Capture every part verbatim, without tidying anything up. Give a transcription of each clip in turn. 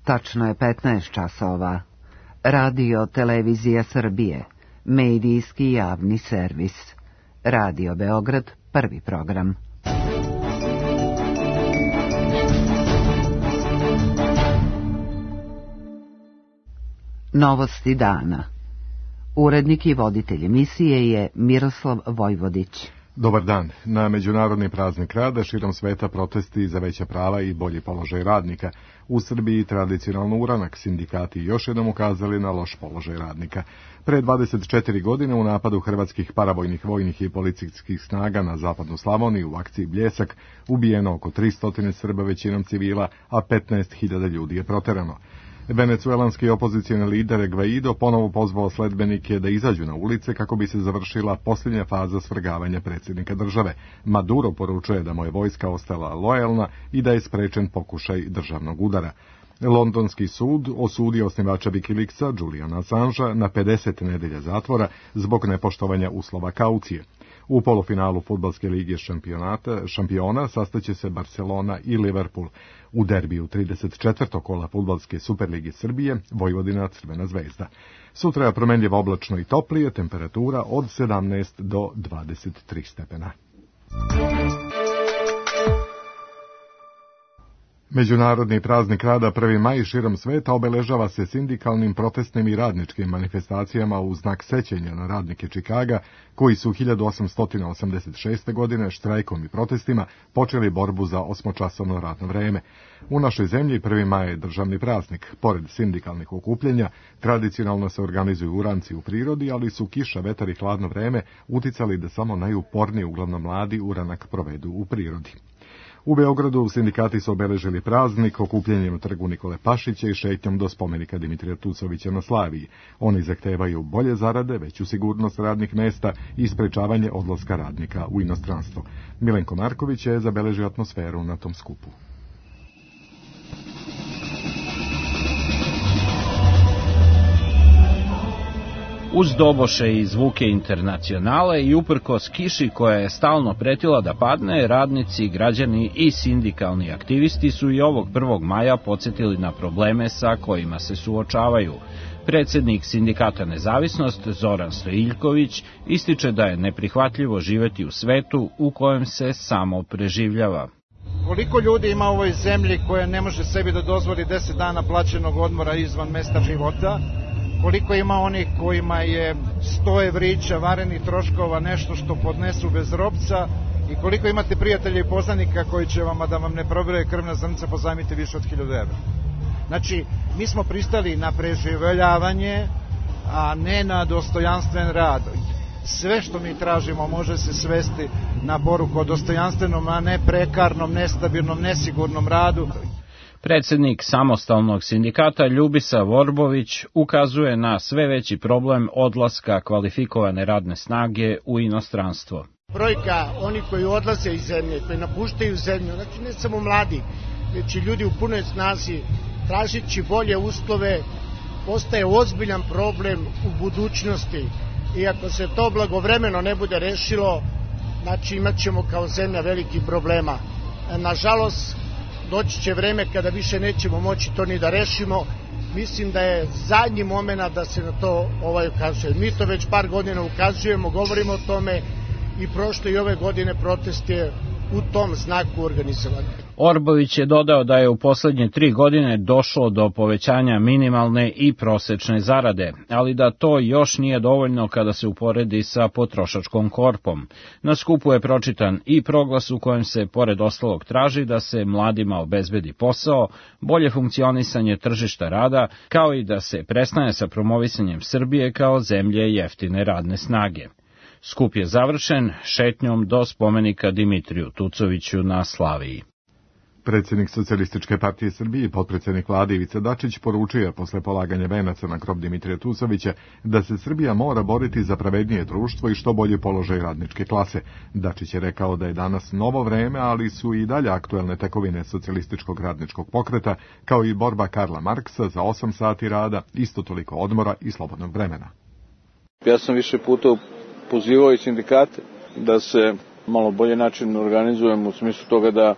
Tačno je petnaest časova. Radio Televizija Srbije, medijski javni servis. Radio Beograd, prvi program. Novosti dana. Urednik i voditelj emisije je Miroslav Vojvodić. Dobar dan. Na Međunarodni praznik rada širom sveta protesti za veća prava i bolji položaj radnika. U Srbiji tradicionalno uranak, sindikati još jednom ukazali na loš položaj radnika. Pre dvadeset četiri godine u napadu hrvatskih paravojnih vojnih i policijskih snaga na zapadnu Slavoniju u akciji Bljesak ubijeno oko tristo Srba, većinom civila, a petnaest hiljada ljudi je proterano. Venecuelanski opozicijni lider Guaido ponovo pozvao sledbenike da izađu na ulice kako bi se završila posljednja faza svrgavanja predsjednika države. Maduro poručuje da mu je vojska ostala lojalna i da je sprečen pokušaj državnog udara. Londonski sud osudio osnivača Wikileaksa Juliana Assangea na pedeset nedelja zatvora zbog nepoštovanja uslova kaucije. U polufinalu fudbalske lige šampionata, šampiona sastaće se Barcelona i Liverpool. U derbiju trideset četvrtog kola fudbalske Superlige Srbije Vojvodina Crvena zvezda. Sutra je promenljivo oblačno i toplije, temperatura od sedamnaest do dvadeset tri stepena. Međunarodni praznik rada prvi maj širom sveta obeležava se sindikalnim, protestnim i radničkim manifestacijama u znak sećanja na radnike Čikaga, koji su hiljadu osamsto osamdeset šeste. godine štrajkom i protestima počeli borbu za osmočasovno radno vreme. U našoj zemlji prvi maj je državni praznik. Pored sindikalnih okupljenja, tradicionalno se organizuju uranci u prirodi, ali su kiša, vetar i hladno vreme uticali da samo najuporniji, uglavnom mladi, uranak provedu u prirodi. U Beogradu sindikati su obeležili praznik okupljanjem u trgu Nikole Pašića i šetnjom do spomenika Dimitrija Tucovića na Slaviji. Oni zahtevaju bolje zarade, veću sigurnost radnih mesta i sprečavanje odlaska radnika u inostranstvo. Milenko Marković je zabeležio atmosferu na tom skupu. Uz doboše i zvuke internacionale i uprkos kiši koja je stalno pretila da padne, radnici, građani i sindikalni aktivisti su i ovog prvog maja podsjetili na probleme sa kojima se suočavaju. Predsjednik sindikata Nezavisnost, Zoran Stojiljković, ističe da je neprihvatljivo živeti u svetu u kojem se samo preživljava. Koliko ljudi ima u ovoj zemlji koja ne može sebi da dozvoli deset dana plaćenog odmora izvan mesta života? Koliko ima onih kojima je sto evrića varenih troškova nešto što podnesu bez robca i koliko imate prijatelja i poznanika koji će vam, da vam ne probire krvna zrnca, pozajmiti više od hiljadu evra. Znači, mi smo pristali na preživljavanje, a ne na dostojanstven rad. Sve što mi tražimo može se svesti na poruku o dostojanstvenom, a ne prekarnom, nestabilnom, nesigurnom radu. Predsjednik samostalnog sindikata Ljubisa Vorbović ukazuje na sve veći problem odlaska kvalifikovane radne snage u inostranstvo. Brojka oni koji odlaze iz zemlje, koji napuštaju zemlju, znači ne samo mladi, već i ljudi u punoj snazi, tražići bolje uslove, postaje ozbiljan problem u budućnosti. I ako se to blagovremeno ne bude rešilo, znači imat ćemo kao zemlja veliki problema. Nažalost, doći će vreme kada više nećemo moći to ni da rešimo. Mislim da je zadnji moment da se na to ovaj ukazuje. Mi to već par godina ukazujemo, govorimo o tome i prošle i ove godine protest je u tom znaku organizovan. Orbović je dodao da je u poslednje tri godine došlo do povećanja minimalne i prosečne zarade, ali da to još nije dovoljno kada se uporedi sa potrošačkom korpom. Na skupu je pročitan i proglas u kojem se pored ostalog traži da se mladima obezbedi posao, bolje funkcionisanje tržišta rada, kao i da se prestane sa promovisanjem Srbije kao zemlje jeftine radne snage. Skup je završen šetnjom do spomenika Dimitriju Tucoviću na Slaviji. Predsjednik Socijalističke partije Srbije i potpredsjednik vlade Ivica Dačić poručuje posle polaganja venaca na grob Dimitrija Tucovića da se Srbija mora boriti za pravednije društvo i što bolji položaj radničke klase. Dačić je rekao da je danas novo vreme, ali su i dalje aktuelne tekovine socijalističkog radničkog pokreta, kao i borba Karla Marksa za osam sati rada, isto toliko odmora i slobodnog vremena. Ja sam više puta pozivao i sindikate da se malo bolje način organizujemo u smislu toga da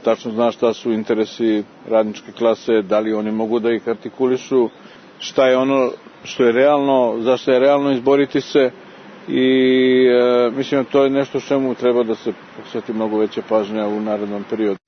tačno zna šta su interesi radničke klase, da li oni mogu da ih artikulišu, šta je ono što je realno, zašto je realno izboriti se i e, mislim da to je nešto čemu treba da se posveti mnogo veća pažnja u narednom periodu.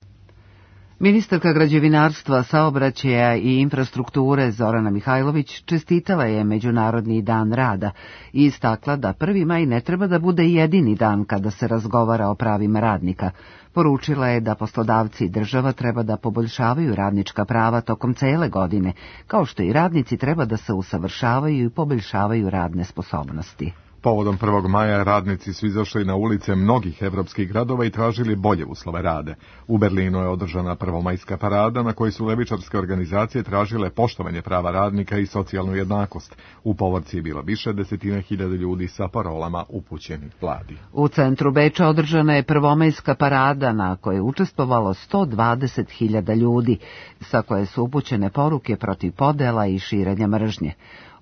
Ministarka građevinarstva, saobraćaja i infrastrukture Zorana Mihajlović čestitala je Međunarodni dan rada i istakla da prvi maj ne treba da bude jedini dan kada se razgovara o pravima radnika. Poručila je da poslodavci i država treba da poboljšavaju radnička prava tokom cele godine, kao što i radnici treba da se usavršavaju i poboljšavaju radne sposobnosti. Povodom prvog maja radnici su izašli na ulice mnogih evropskih gradova i tražili bolje uslove rada. U Berlinu je održana prvomajska parada na kojoj su levičarske organizacije tražile poštovanje prava radnika i socijalnu jednakost. U povorci je bilo više desetina hiljada ljudi sa parolama upućenih vladi. U centru Beča održana je prvomajska parada na kojoj je učestvovalo sto dvadeset hiljada ljudi, sa koje su upućene poruke protiv podela i širenja mržnje.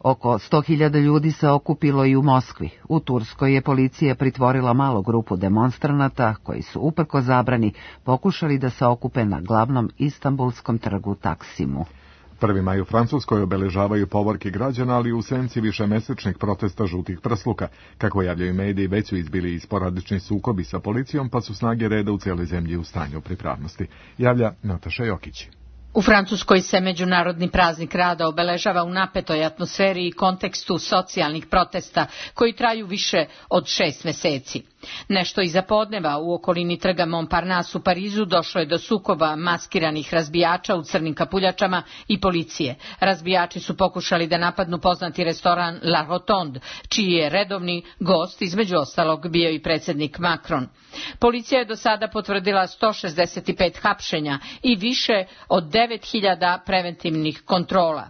Oko sto hiljada ljudi se okupilo i u Moskvi. U Turskoj je policija pritvorila malu grupu demonstranata koji su uprkos zabrani pokušali da se okupe na glavnom istanbulskom trgu Taksimu. Prvi maj u Francuskoj obeležavaju povorke građana, ali u senci višemesečnih protesta žutih prsluka. Kako javljaju mediji, već su izbili i sporadični sukobi sa policijom, pa su snage reda u cijeloj zemlji u stanju pripravnosti. Javlja Nataša Jokić. U Francuskoj se Međunarodni praznik rada obeležava u napetoj atmosferi i kontekstu socijalnih protesta koji traju više od šest meseci. Nešto iza podneva u okolini trga Montparnasse u Parizu došlo je do sukoba maskiranih razbijača u crnim kapuljačama i policije. Razbijači su pokušali da napadnu poznati restoran La Rotonde, čiji je redovni gost između ostalog bio i predsjednik Macron. Policija je do sada potvrdila sto šezdeset pet hapšenja i više od devet hiljada preventivnih kontrola.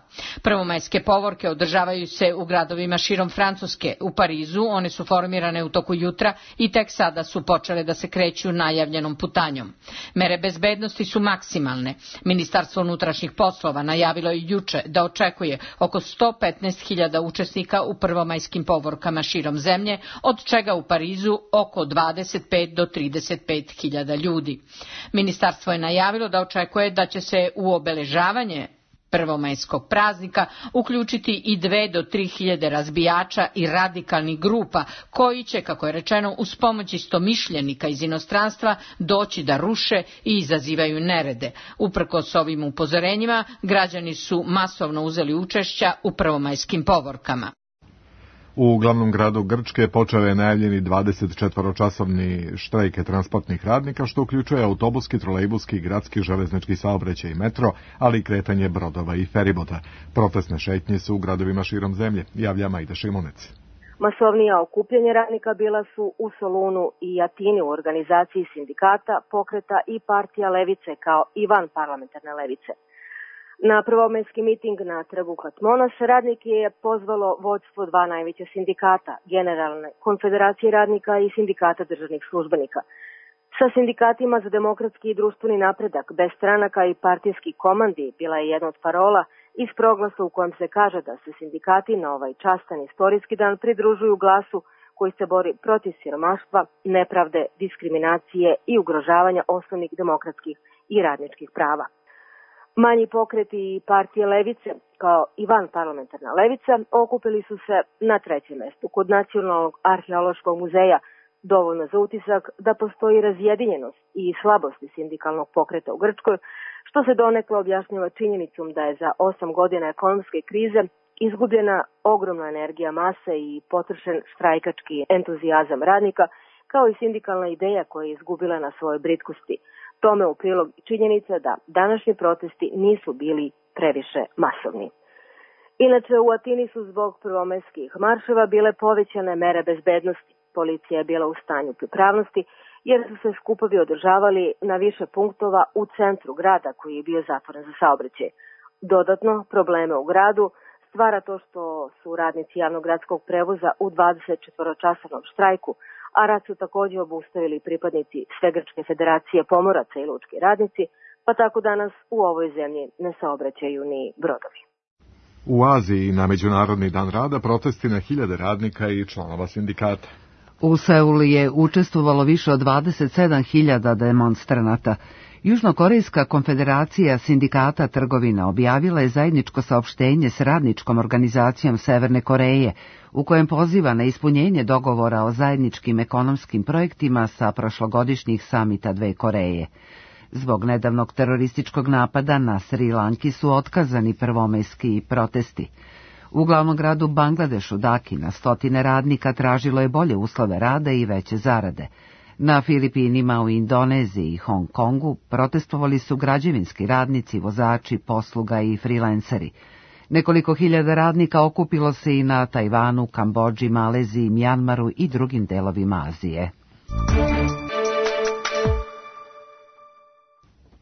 Prvomajske povorke održavaju se u gradovima širom Francuske. U Parizu one su formirane u toku jutra i tek sada su počele da se kreću najavljenom putanjom. Mere bezbednosti su maksimalne. Ministarstvo unutrašnjih poslova najavilo je juče da očekuje oko sto petnaest hiljada učesnika u prvomajskim povorkama širom zemlje, od čega u Parizu oko dvadeset pet do trideset pet hiljada ljudi. Ministarstvo je najavilo da očekuje da će se u obeležavanje prvomajskog praznika uključiti i dve do tri hiljade razbijača i radikalnih grupa koji će, kako je rečeno, uz pomoć istomišljenika iz inostranstva doći da ruše i izazivaju nerede. Uprkos ovim upozorenjima, građani su masovno uzeli učešća u prvomajskim povorkama. U glavnom gradu Grčke počeo je najavljeni dvadesetčetvoročasovni štrajk transportnih radnika, što uključuje autobuski, trolejbuski, gradski, železnički saobraćaj i metro, ali i kretanje brodova i feribota. Protestne šetnje su u gradovima širom zemlje, javlja Majda Šimunec. Masovnija okupljanja radnika bila su u Solunu i Atini u organizaciji sindikata, pokreta i partija levice kao i van parlamentarne levice. Na prvomajski miting na trgu Katmonos radnike je pozvalo vodstvo dva najveća sindikata, Generalne konfederacije radnika i Sindikata državnih službenika. Sa sindikatima za demokratski i društveni napredak, bez stranaka i partijski komandi bila je jedna od parola iz proglasa u kojem se kaže da se sindikati na ovaj častan istorijski dan pridružuju glasu koji se bori protiv siromaštva, nepravde, diskriminacije i ugrožavanja osnovnih demokratskih i radničkih prava. Manji pokreti i partije levice, kao i van parlamentarna levica, okupili su se na trećem mestu kod Nacionalnog arheološkog muzeja, dovoljno za utisak da postoji razjedinjenost i slabosti sindikalnog pokreta u Grčkoj, što se donekle objašnjava činjenicom da je za osam godina ekonomske krize izgubljena ogromna energija mase i potrošen štrajkački entuzijazam radnika, kao i sindikalna ideja koja je izgubila na svojoj britkosti. Tome u prilog činjenica da današnji protesti nisu bili previše masovni. Inače, u Atini su zbog prvomajskih marševa bile povećane mere bezbednosti. Policija je bila u stanju pripravnosti jer su se skupovi održavali na više punktova u centru grada koji je bio zatvoren za saobraćaj. Dodatno, probleme u gradu stvara to što su radnici javnog gradskog prevoza u dvadesetčetvoročasovnom štrajku, a rad su također obustavili pripadnici Svegrčke federacije pomoraca i lučki radnici, pa tako danas u ovoj zemlji ne saobraćaju ni brodovi. U Aziji na Međunarodni dan rada protesti na hiljade radnika i članova sindikata. U Seulu je učestvovalo više od dvadeset sedam hiljada demonstranata. Južnokorejska konfederacija sindikata trgovina objavila je zajedničko saopštenje s radničkom organizacijom Severne Koreje, u kojem poziva na ispunjenje dogovora o zajedničkim ekonomskim projektima sa prošlogodišnjih samita dve Koreje. Zbog nedavnog terorističkog napada na Sri Lanki su otkazani prvomajski protesti. U glavnom gradu Bangladešu, Daki, na stotine radnika tražilo je bolje uslove rada i veće zarade. Na Filipinima, u Indoneziji i Hong Kongu protestovali su građevinski radnici, vozači, posluga i freelanceri. Nekoliko hiljada radnika okupilo se i na Tajvanu, Kambodži, Maleziji, Mjanmaru i drugim delovima Azije.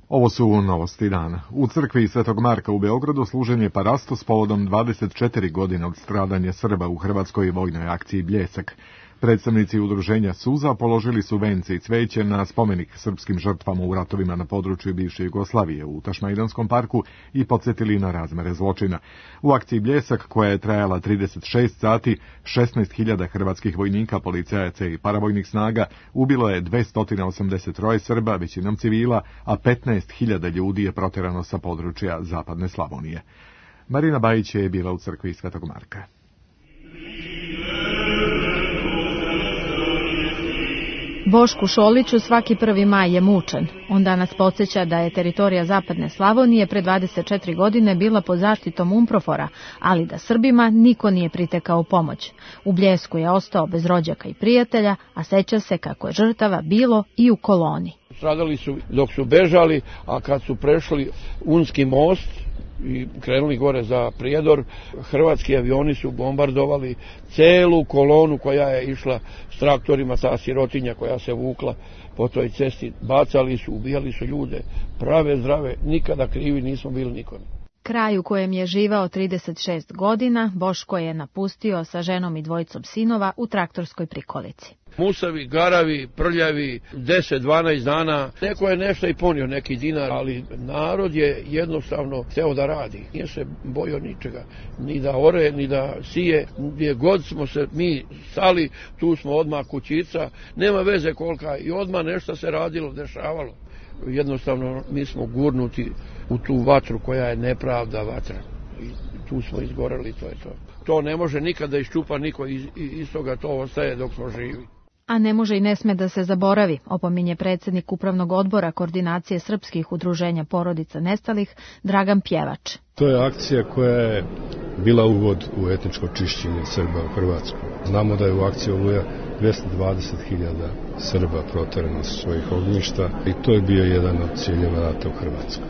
Ovo su novosti dana. U crkvi Svetog Marka u Beogradu služen je parastos povodom dvadeset četiri godine od stradanja Srba u hrvatskoj vojnoj akciji Bljesak. Predstavnici udruženja Suza položili su vence i cveće na spomenik srpskim žrtvama u ratovima na području bivše Jugoslavije u Tašmaidanskom parku i podsjetili na razmere zločina. U akciji Bljesak, koja je trajala trideset šest sati, šesnaest hiljada hrvatskih vojnika, policajaca i paravojnih snaga ubilo je dvesta osamdeset tri Srba, većinom civila, a petnaest hiljada ljudi je proterano sa područja zapadne Slavonije. Marina Bajić je bila u crkvi Svetog Marka. Bošku Šoliću svaki prvi maj je mučen. On danas podsjeća da je teritorija zapadne Slavonije pre dvadeset četiri godine bila pod zaštitom Umprofora, ali da Srbima niko nije pritekao u pomoć. U Bljesku je ostao bez rođaka i prijatelja, a seća se kako je žrtava bilo i u koloni. Stradali su dok su bežali, a kad su prešli Unski most i krenuli gore za Prijedor, hrvatski avioni su bombardovali celu kolonu koja je išla s traktorima, ta sirotinja koja se vukla po toj cesti. Bacali su, ubijali su ljude, prave, zdrave, nikada krivi nismo bili nikome. Kraj u kojem je živao trideset šest godina, Boško je napustio sa ženom i dvojicom sinova u traktorskoj prikolici. Musavi, garavi, prljavi, deset dvanaest dana. Neko je nešto i ponio, neki dinar, ali narod je jednostavno hteo da radi. Nije se bojao ničega, ni da ore, ni da sije. Gdje god smo se mi stali, tu smo odmah kućica, nema veze kolika, i odmah nešto se radilo, dešavalo. Jednostavno mi smo gurnuti u tu vatru koja je nepravda vatra. I tu smo izgoreli, to je to. To ne može nikada iščupa niko, iz, iz toga to ostaje dok smo živi. A ne može i ne sme da se zaboravi, opominje predsjednik Upravnog odbora Koordinacije srpskih udruženja porodica nestalih, Dragan Pjevač. To je akcija koja je bila uvod u etničko čišćenje Srba u Hrvatskoj. Znamo da je u akciji Oluja dvesta dvadeset hiljada Srba proterano sa svojih ognjišta i to je bio jedan od ciljeva rata u Hrvatskoj.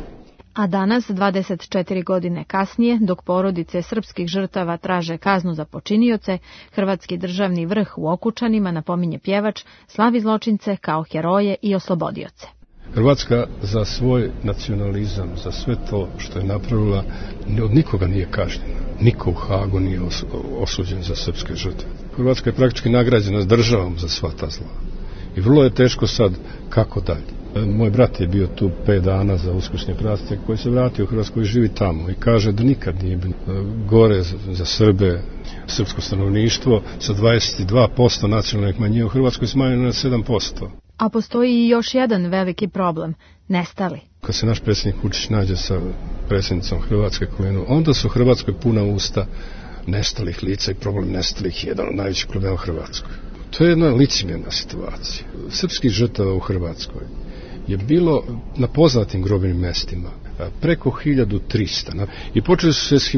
A danas, dvadeset četiri godine kasnije, dok porodice srpskih žrtava traže kaznu za počinioce, hrvatski državni vrh u Okučanima, napominje Pjevač, slavi zločince kao heroje i oslobodioce. Hrvatska za svoj nacionalizam, za sve to što je napravila, od nikoga nije kažnjena. Niko u Hagu nije osuđen za srpske žrtve. Hrvatska je praktički nagrađena s državom za sva ta zla. I vrlo je teško sad kako dalje. Moj brat je bio tu pet dana za uskršnje praznike, koji se vratio u Hrvatsku i živi tamo i kaže da nikad nije bilo gore za Srbe, srpsko stanovništvo sa dvadeset dva posto nacionalnih manjina u Hrvatskoj smanjeno na sedam posto. A postoji i još jedan veliki problem, nestali. Kad se naš predsjednik Vučić nađe sa predsjednicom Hrvatske kolenu, onda su Hrvatskoj puna usta nestalih lica i problem nestalih je jedan od najvećih problema u Hrvatskoj. To je jedna licemjerna situacija. Srpskih žrtava u Hrvatskoj je bilo na poznatim grobnim mestima preko hiljadu trista i počeli su se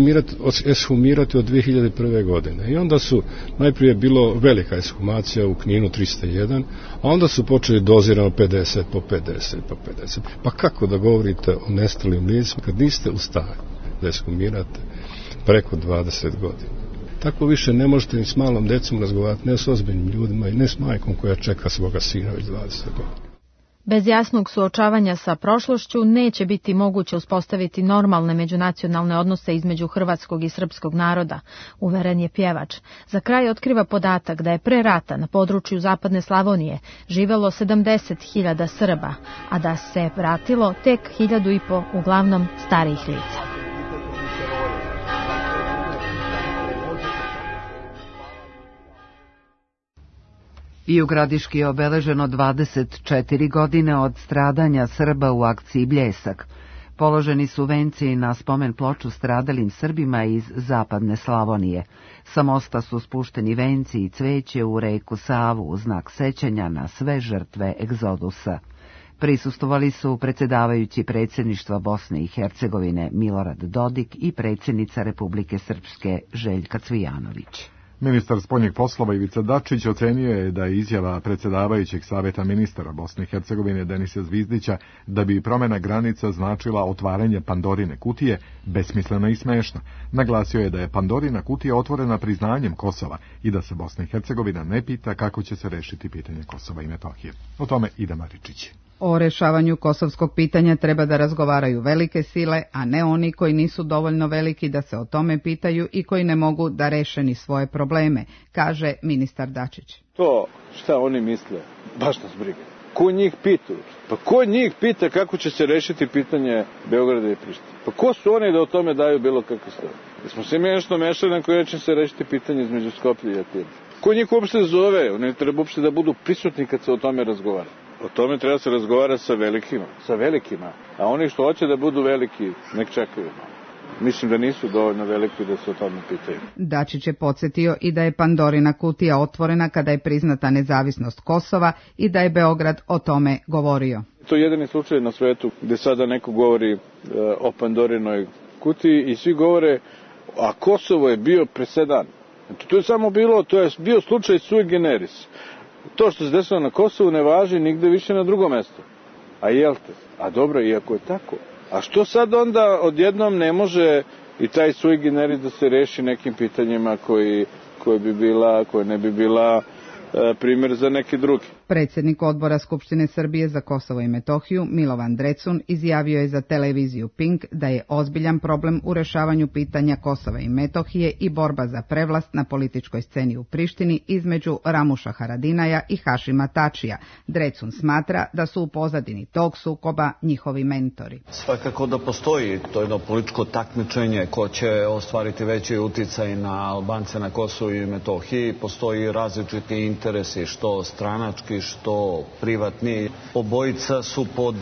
eshumirati od dve hiljade prve. godine. I onda su, najprije bilo velika eshumacija u Kninu trista jedan, a onda su počeli dozirano pedeset po pedeset po pedeset. Pa kako da govorite o nestalim licima kad niste u stanju da eshumirate preko dvadeset godina? Tako više ne možete ni s malom decom razgovarati, ne s ozbiljnim ljudima i ne s majkom koja čeka svoga sina već dvadeset godina. Bez jasnog suočavanja sa prošlošću neće biti moguće uspostaviti normalne međunacionalne odnose između hrvatskog i srpskog naroda, uveren je Pjevač. Za kraj otkriva podatak da je pre rata na području zapadne Slavonije živelo sedamdeset hiljada Srba, a da se vratilo tek hiljadu i po uglavnom starijih lica. I u Gradiški je obeleženo dvadeset četiri godine od stradanja Srba u akciji Bljesak. Položeni su venci na spomen ploču stradalim Srbima iz zapadne Slavonije. Sa mosta su spušteni venci i cveće u reku Savu u znak sećanja na sve žrtve egzodusa. Prisustvovali su predsjedavajući predsjedništva Bosne i Hercegovine Milorad Dodik i predsjednica Republike Srpske Željka Cvijanović. Ministar spoljnih poslova Ivica Dačić ocenio je da je izjava predsjedavajućeg saveta ministara Bosne i Hercegovine Denisa Zvizdića da bi promjena granica značila otvaranje Pandorine kutije besmislena i smešna. Naglasio je da je Pandorina kutija otvorena priznanjem Kosova i da se Bosna i Hercegovina ne pita kako će se rešiti pitanje Kosova i Metohije. O tome Ida Maričić. O rešavanju kosovskog pitanja treba da razgovaraju velike sile, a ne oni koji nisu dovoljno veliki da se o tome pitaju i koji ne mogu da reše ni svoje probleme, kaže ministar Dačić. To šta oni misle, baš nas briga. Ko njih pita? Pa ko njih pita kako će se rešiti pitanje Beograda i Prištine? Pa ko su oni da o tome daju bilo kakve stav? Da smo se mi nešto mešali na koji će se rešiti pitanje između Skoplja i Atine. Ko njih uopšte zove? Oni treba uopšte da budu prisutni kad se o tome razgovara. O tome treba se razgovarati sa velikima, sa velikima, a oni što hoće da budu veliki, nek čekaju. Mislim da nisu dovoljno veliki da se o tome pitaju. Dačić je podsjetio i da je Pandorina kutija otvorena kada je priznata nezavisnost Kosova i da je Beograd o tome govorio. To je jedini slučaj na svetu gde sada neko govori e, o Pandorinoj kutiji i svi govore, a Kosovo je bio presedan. Znači, to je samo bilo, to je bio slučaj sui generis. To što se desilo na Kosovu ne važi nigde više na drugo mesto. A jel te? A dobro, iako je tako. A što sad onda odjednom ne može i taj sui generis da se reši nekim pitanjima koji, koji bi bila, koje ne bi bila e, primjer za neki drugi? Predsjednik odbora Skupštine Srbije za Kosovo i Metohiju, Milovan Drecun, izjavio je za televiziju Pink da je ozbiljan problem u rešavanju pitanja Kosova i Metohije i borba za prevlast na političkoj sceni u Prištini između Ramuša Haradinaja i Hašima Tačija. Drecun smatra da su u pozadini tog sukoba njihovi mentori. Svakako da postoji to jedno političko takmičenje ko će ostvariti veći uticaj na Albance na Kosovu i Metohiji. Postoji različiti interesi, što stranački, što privatni. Obojica su pod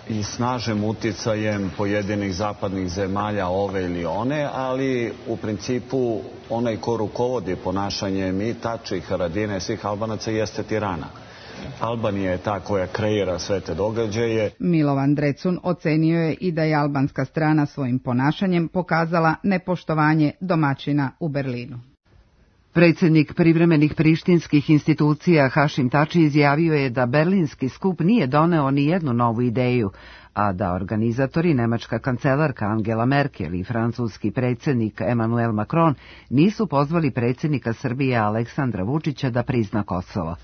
i snažnim uticajem pojedinih zapadnih zemalja, ove ili one, ali u principu onaj ko rukovodi ponašanjem i Tači, i Haradine, svih Albanaca jeste Tirana. Albanija je ta koja kreira sve te događaje. Milovan Drecun ocenio je i da je albanska strana svojim ponašanjem pokazala nepoštovanje domaćina u Berlinu. Predsjednik privremenih prištinskih institucija Hašim Tači izjavio je da berlinski skup nije doneo ni jednu novu ideju, a da organizatori, nemačka kancelarka Angela Merkel i francuski predsjednik Emmanuel Macron nisu pozvali predsjednika Srbije Aleksandra Vučića da prizna Kosovo.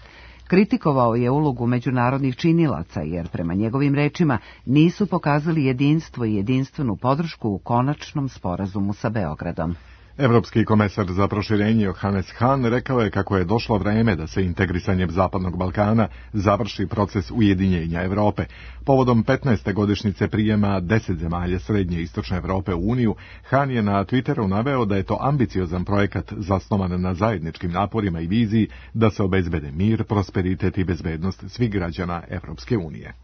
Kritikovao je ulogu međunarodnih činilaca jer prema njegovim rečima nisu pokazali jedinstvo i jedinstvenu podršku u konačnom sporazumu sa Beogradom. Evropski komesar za proširenje Johannes Hahn rekao je kako je došlo vreme da se integrisanjem Zapadnog Balkana završi proces ujedinjenja Evrope. Povodom petnaeste godišnjice prijema deset zemalja Srednje i Istočne Evrope u Uniju, Hahn je na Twitteru naveo da je to ambiciozan projekat zasnovan na zajedničkim naporima i viziji da se obezbede mir, prosperitet i bezbednost svih građana Evropske unije.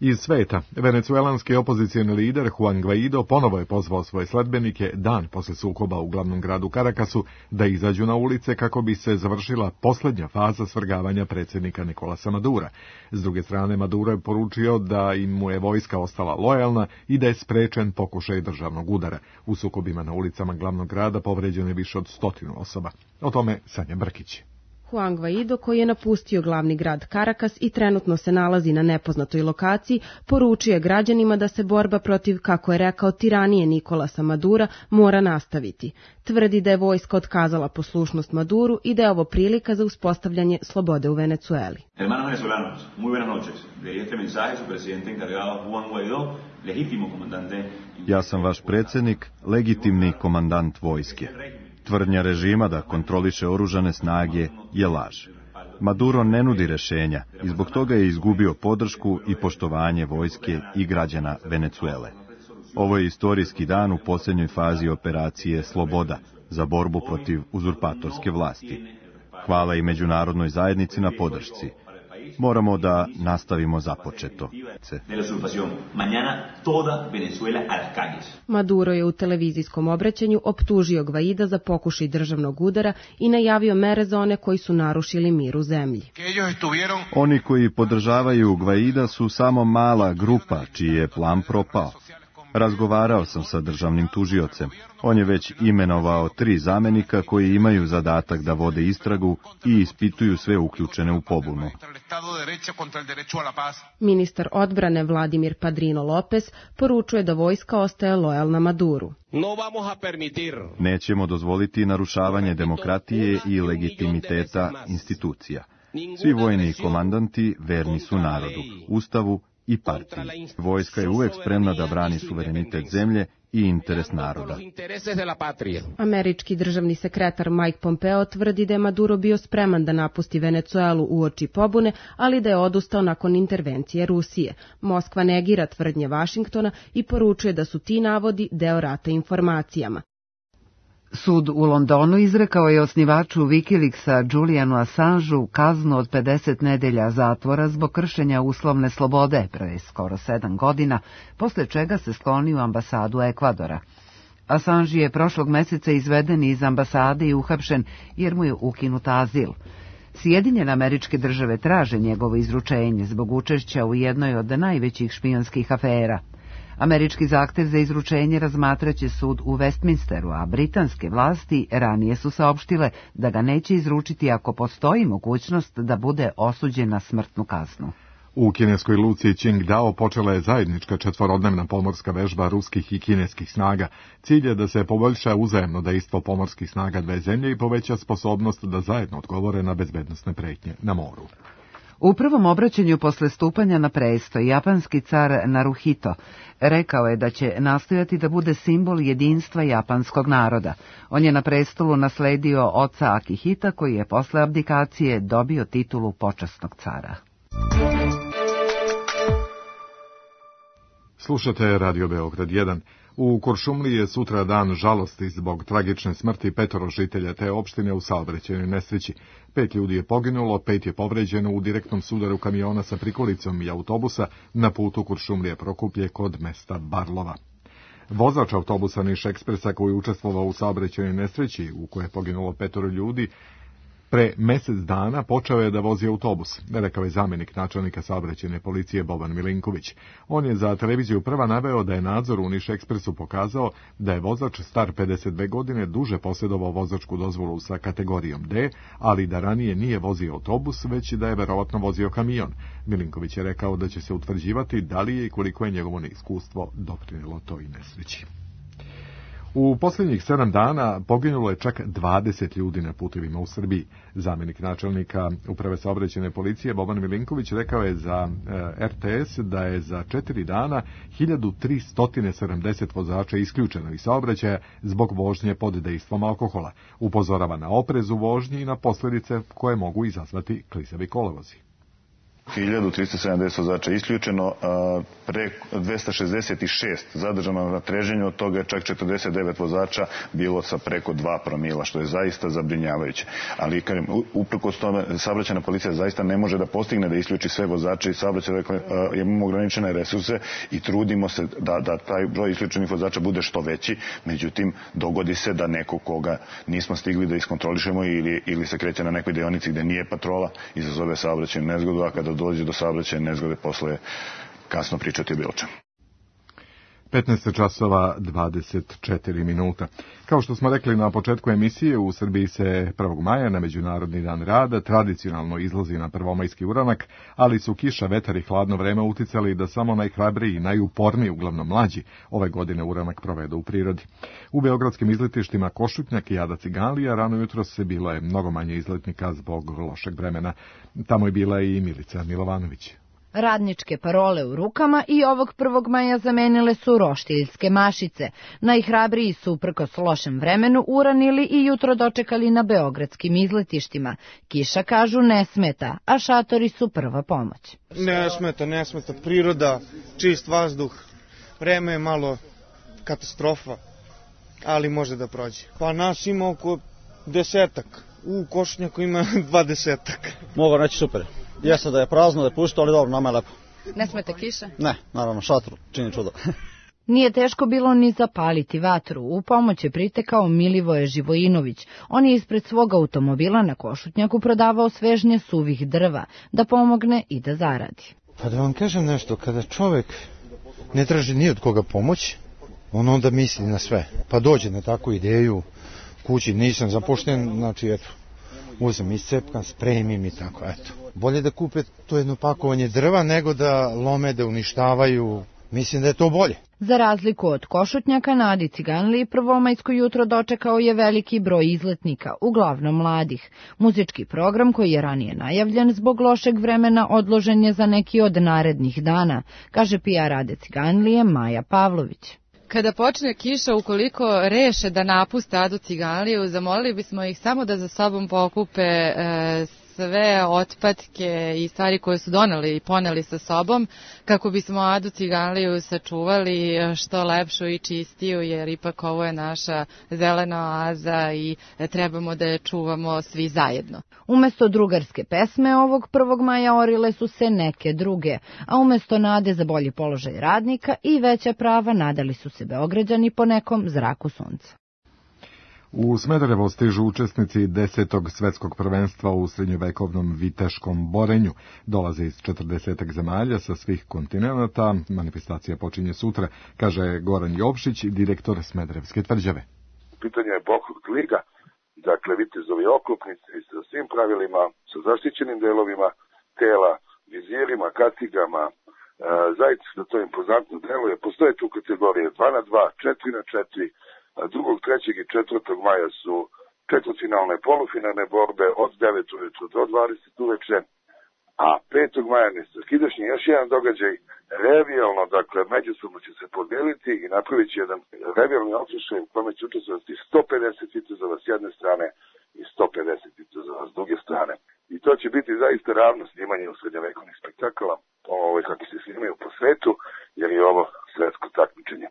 Iz sveta, venecuelanski opozicijni lider Juan Guaido ponovo je pozvao svoje sledbenike dan posle sukoba u glavnom gradu Karakasu da izađu na ulice kako bi se završila posljednja faza svrgavanja predsjednika Nikolasa Madura. S druge strane, Maduro je poručio da im mu je vojska ostala lojalna i da je sprečen pokušaj državnog udara. U sukobima na ulicama glavnog grada povređeno je više od stotinu osoba. O tome Sanja Brkić. Juan Guaido, koji je napustio glavni grad Karakas i trenutno se nalazi na nepoznatoj lokaciji, poručio je građanima da se borba protiv, kako je rekao, tiranije Nikolasa Madura mora nastaviti. Tvrdi da je vojska otkazala poslušnost Maduru i da je ovo prilika za uspostavljanje slobode u Venecueli. Hermanos venezolanos, muy buenas noches. De este mensaje su presidente encargado Juan Guaido, legítimo comandante. Ja sam vaš predsjednik, legitimni komandant vojske. Tvrdnja režima da kontroliše oružane snage je laž. Maduro ne nudi rešenja i zbog toga je izgubio podršku i poštovanje vojske i građana Venecuele. Ovo je istorijski dan u posljednjoj fazi operacije Sloboda za borbu protiv uzurpatorske vlasti. Hvala i međunarodnoj zajednici na podršci. Moramo da nastavimo započeto. Maduro je u televizijskom obraćanju optužio Gvaida za pokušaj državnog udara i najavio mere za one koji su narušili mir u zemlji. Oni koji podržavaju Gvaida su samo mala grupa čiji je plan propao. Razgovarao sam sa državnim tužiocem. On je već imenovao tri zamenika koji imaju zadatak da vode istragu i ispituju sve uključene u pobunu. Ministar odbrane Vladimir Padrino Lopez poručuje da vojska ostaje lojalna Maduru. Nećemo dozvoliti narušavanje demokratije i legitimiteta institucija. Svi vojni komandanti verni su narodu, ustavu i partiji. Vojska je uvek spremna da brani suverenitet zemlje i interes naroda. Američki državni sekretar Mike Pompeo tvrdi da je Maduro bio spreman da napusti Venecuelu uoči pobune, ali da je odustao nakon intervencije Rusije. Moskva negira tvrdnje Vašingtona i poručuje da su ti navodi deo rata informacijama. Sud u Londonu izrekao je osnivaču Wikileaksa Julianu Assangeu kaznu od pedeset nedelja zatvora zbog kršenja uslovne slobode pre skoro sedam godina, posle čega se sklonio u ambasadu Ekvadora. Assange je prošlog meseca izveden iz ambasade i uhapšen jer mu je ukinut azil. Sjedinjene Američke Države traže njegovo izručenje zbog učešća u jednoj od najvećih špijunskih afera. Američki zahtev za izručenje razmatraće sud u Westminsteru, a britanske vlasti ranije su saopštile da ga neće izručiti ako postoji mogućnost da bude osuđen na smrtnu kaznu. U kineskoj luci Qingdao počela je zajednička četvorodnevna pomorska vežba ruskih i kineskih snaga. Cilj je da se poboljša uzajemno dejstvo pomorskih snaga dve zemlje i poveća sposobnost da zajedno odgovore na bezbednosne pretnje na moru. U prvom obraćanju posle stupanja na prestoj, japanski car Naruhito rekao je da će nastojati da bude simbol jedinstva japanskog naroda. On je na prestolu nasledio oca Akihita, koji je posle abdikacije dobio titulu počasnog cara. Slušate Radio Beograd jedan. U Kuršumliji je sutra dan žalosti zbog tragične smrti petoro žitelja te opštine u saobraćajnoj nesreći. Pet ljudi je poginulo, pet je povređeno u direktnom sudaru kamiona sa prikolicom i autobusa na putu Kuršumlije Prokuplje kod mesta Barlova. Vozač autobusa Niš Ekspresa koji je učestvovao u saobraćajnoj nesreći u kojoj je poginulo petoro ljudi, pre mesec dana počeo je da vozi autobus, rekao je zamenik načelnika saobraćajne policije Boban Milinković. On je za televiziju Prva naveo da je nadzor u Niš Ekspresu pokazao da je vozač star pedeset dve godine duže posjedovao vozačku dozvolu sa kategorijom D, ali da ranije nije vozio autobus, već da je verovatno vozio kamion. Milinković je rekao da će se utvrđivati da li je i koliko je njegovo neiskustvo doprinelo toj nesreći. U posljednjih sedam dana poginulo je čak dvadeset ljudi na putevima u Srbiji. Zamenik načelnika Uprave saobraćajne policije Boban Milinković rekao je za e, R T S da je za četiri dana hiljadu tristo sedamdeset vozača isključeno iz saobraćaja zbog vožnje pod dejstvom alkohola. Upozorava na oprez u vožnji i na posljedice koje mogu izazvati klizavi kolovozi. hiljadu tristo sedamdeset vozača isključeno, pre dvesta šezdeset šest zadržano na treženju, od toga je čak četrdeset devet vozača bilo sa preko dva promila, što je zaista zabrinjavajuće. Ali, kažem, uprkos tome, saobraćajna policija zaista ne može da postigne da isključi sve vozače i saobraćaj, dakle, imamo ograničene resurse i trudimo se da, da taj broj isključenih vozača bude što veći, međutim, dogodi se da neko koga nismo stigli da iskontrolišemo ili, ili se kreće na nekoj deonici gde nije patrola, izazove saobraćajnu nezgodu, a kada dođe do saobraćajne nezgode, posle je kasno pričati o bilo čemu. petnaest časova dvadeset četiri minuta. Kao što smo rekli na početku emisije, u Srbiji se prvog maja na Međunarodni dan rada tradicionalno izlazi na prvomajski uranak, ali su kiša, vetar i hladno vreme uticali da samo najhrabriji i najuporniji, uglavnom mlađi, ove godine uranak provedu u prirodi. U beogradskim izletištima Košutnjak i Ada Ciganlija rano jutro se bilo je mnogo manje izletnika zbog lošeg vremena. Tamo je bila i Milica Milovanović. Radničke parole u rukama i ovog prvog maja zamenile su roštiljske mašice. Najhrabriji su uprkos lošem vremenu uranili i jutro dočekali na beogradskim izletištima. Kiša, kažu, ne smeta, a šatori su prva pomoć. Ne smeta, ne smeta. Priroda, čist vazduh, vreme je malo katastrofa, ali može da prođe. Pa nas ima oko desetak U Košutnjaku ima dvadesetak. Mogu reći super. Jeste da je prazno, da je pusto, ali dobro, nama je lepo. Ne smete kiša? Ne, naravno, šator čini čudo. Nije teško bilo ni zapaliti vatru. U pomoć je pritekao Milivoje Živojinović. On je ispred svog automobila na Košutnjaku prodavao svežnje suvih drva, da pomogne i da zaradi. Pa da vam kažem nešto, kada čovek ne traži ni od koga pomoć, on onda misli na sve. Pa dođe na takvu ideju, kući nisam zapošljen, znači eto, uzem iscepkan, spremim i tako, eto. Bolje da kupe to jedno pakovanje drva nego da lome, da uništavaju, mislim da je to bolje. Za razliku od Košutnjaka, na Adi Ciganliji prvomajsko jutro dočekao je veliki broj izletnika, uglavnom mladih. Muzički program koji je ranije najavljen zbog lošeg vremena odložen je za neki od narednih dana, kaže P R Ade Ciganlije Maja Pavlović. Kada počne kiša, ukoliko reše da napuste Adu Ciganliju, zamolili bismo ih samo da za sobom pokupe e, sve otpadke i stvari koje su doneli i poneli sa sobom, kako bismo Adu Ciganliju sačuvali što lepšu i čistiju, jer ipak ovo je naša zelena oaza i trebamo da je čuvamo svi zajedno. Umesto drugarske pesme ovog prvog maja orile su se neke druge, a umesto nade za bolji položaj radnika i veća prava nadali su se Beograđani po nekom zraku sunca. U Smederevo stižu učesnici desetog svetskog prvenstva u srednjovekovnom viteškom borenju. Dolaze iz četrdesetak zemalja sa svih kontinenata. Manifestacija počinje sutra, kaže Goran Jovšić, direktor Smederevske tvrđave. Pitanje je Bohog liga, dakle vitezovi oklopnici sa svim pravilima, sa zaštićenim delovima tela, vizirima, kacigama, zaista da to impozantno deluje. Postoje tu kategorije dva na dva, četiri na četiri, drugog, trećeg i četvrtog maja su četvrtfinalne polufinalne borbe od devet ujutru do dvadeset uveče, a petog maja nesakidašnji još jedan događaj, revijalno, dakle međusobno će se podeliti i napravit će jedan revijalni okršaj u kome će učestvovati sto pedeset vitezova s jedne strane i sto pedeset vitezova s druge strane. I to će biti zaista ravno snimanje u srednjovekovnih spektakala, ovo kako se snimaju po svetu, jer je ovo svetsko takmičenje.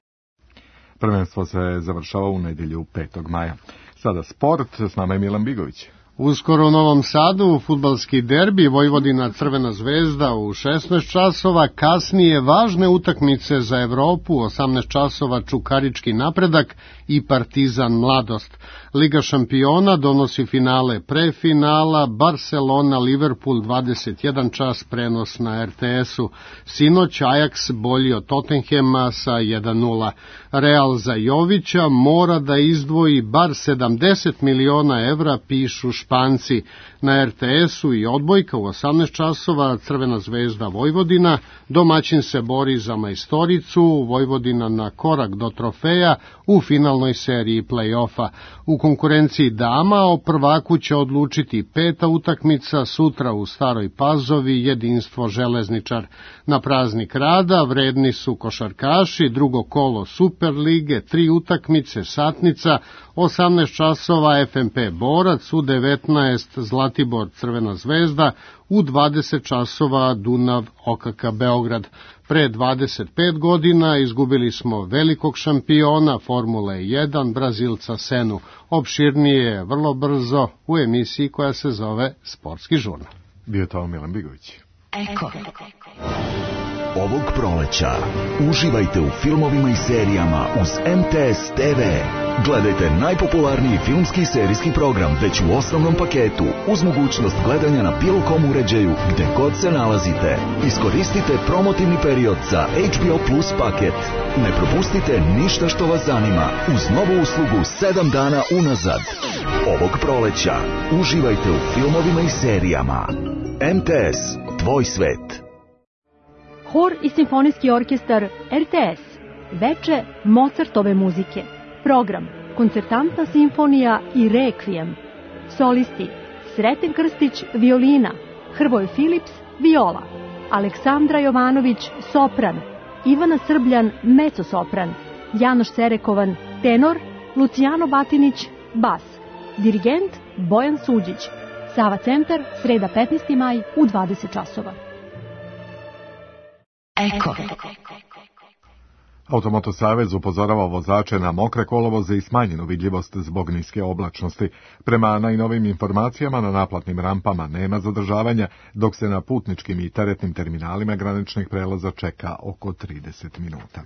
Prvenstvo se završava u nedjelju petog maja. Sada sport, s nama je Milan Bigović. Uskoro u Novom Sadu fudbalski derbi Vojvodina Crvena zvezda u šesnaest časova, kasnije važne utakmice za Evropu, osamnaest časova Čukarički napredak i Partizan Mladost. Liga šampiona donosi finale prefinala, Barcelona Liverpool dvadeset jedan čas prenos na R T S-u. Sinoć Ajax bolji od Tottenhema sa jedan nula. Real za Jovića mora da izdvoji bar sedamdeset miliona evra, pišu Španci. Na R T S-u i odbojka u osamnaest časova Crvena zvezda Vojvodina, domaćin se bori za majstoricu, Vojvodina na korak do trofeja u finalnoj seriji play-offa. U konkurenciji dama o prvaku će odlučiti peta utakmica sutra u Staroj Pazovi, Jedinstvo Železničar. Na praznik rada vredni su košarkaši, drugo kolo Superlige, tri utakmice, satnica, osamnaest časova F M P Borac, u devetnaest Zlatibor Crvena zvezda, u dvadeset časova Dunav O K K Beograd. Pre dvadeset pet godina izgubili smo velikog šampiona Formule jedan, Brazilca Senu. Opširnije vrlo brzo u emisiji koja se zove Sportski žurnal. Bio to Milan Bigović. Eko. Ovog proleća uživajte u filmovima i serijama uz M T S T V. Gledajte najpopularniji filmski i serijski program već u osnovnom paketu uz mogućnost gledanja na bilo kom uređaju gde god se nalazite. Iskoristite promotivni period za H B O Plus paket. Ne propustite ništa što vas zanima uz novu uslugu sedam dana unazad. Ovog proleća uživajte u filmovima i serijama. M T S, tvoj svet. Hor i simfonijski orkestar R T S. Veče Mozartove muzike. Program Koncertantna simfonija i Rekvijem. Solisti Sreten Krstić violina, Hrvoje Filips viola, Aleksandra Jovanović sopran, Ivana Srbljan mezzo-sopran, Janoš Serekovan tenor, Lucijano Batinić bas. Dirigent Bojan Suđić. Sava centar, sreda petnaesti maj u dvadeset časova. Eko. Automoto savez upozorava vozače na mokre kolovoze i smanjenu vidljivost zbog niske oblačnosti. Prema najnovim informacijama na naplatnim rampama nema zadržavanja, dok se na putničkim i teretnim terminalima graničnih prelaza čeka oko trideset minuta.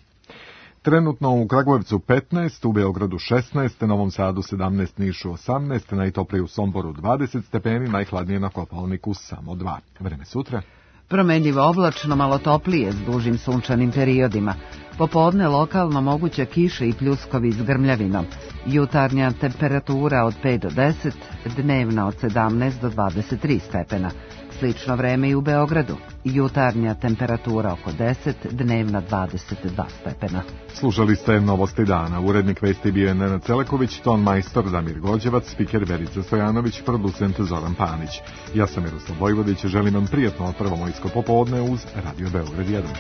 Trenutno u Kragujevcu petnaest, u Beogradu šesnaest, Novom Sadu sedamnaest, Nišu osamnaest, najtoplije u Somboru dvadeset stepeni, najhladnije na Kopaoniku samo dva. Vreme sutra. Promenljivo oblačno, malo toplije s dužim sunčanim periodima. Popodne lokalno moguća kiša i pljuskovi s grmljavinom. Jutarnja temperatura od pet do deset, dnevna od sedamnaest do dvadeset tri stepena. Slično vreme i u Beogradu. Jutarnja temperatura oko deset, dnevna dvadeset dva stepena. Slušali ste Novosti dana. Urednik vesti bio je Nenad Celeković, ton majstor Damir Gođevac, spiker Verica Stojanović, producent Zoran Panić. Ja sam Miroslav Vojvodić, želim vam prijatno prvomojsko popodne uz Radio Beograd jedan.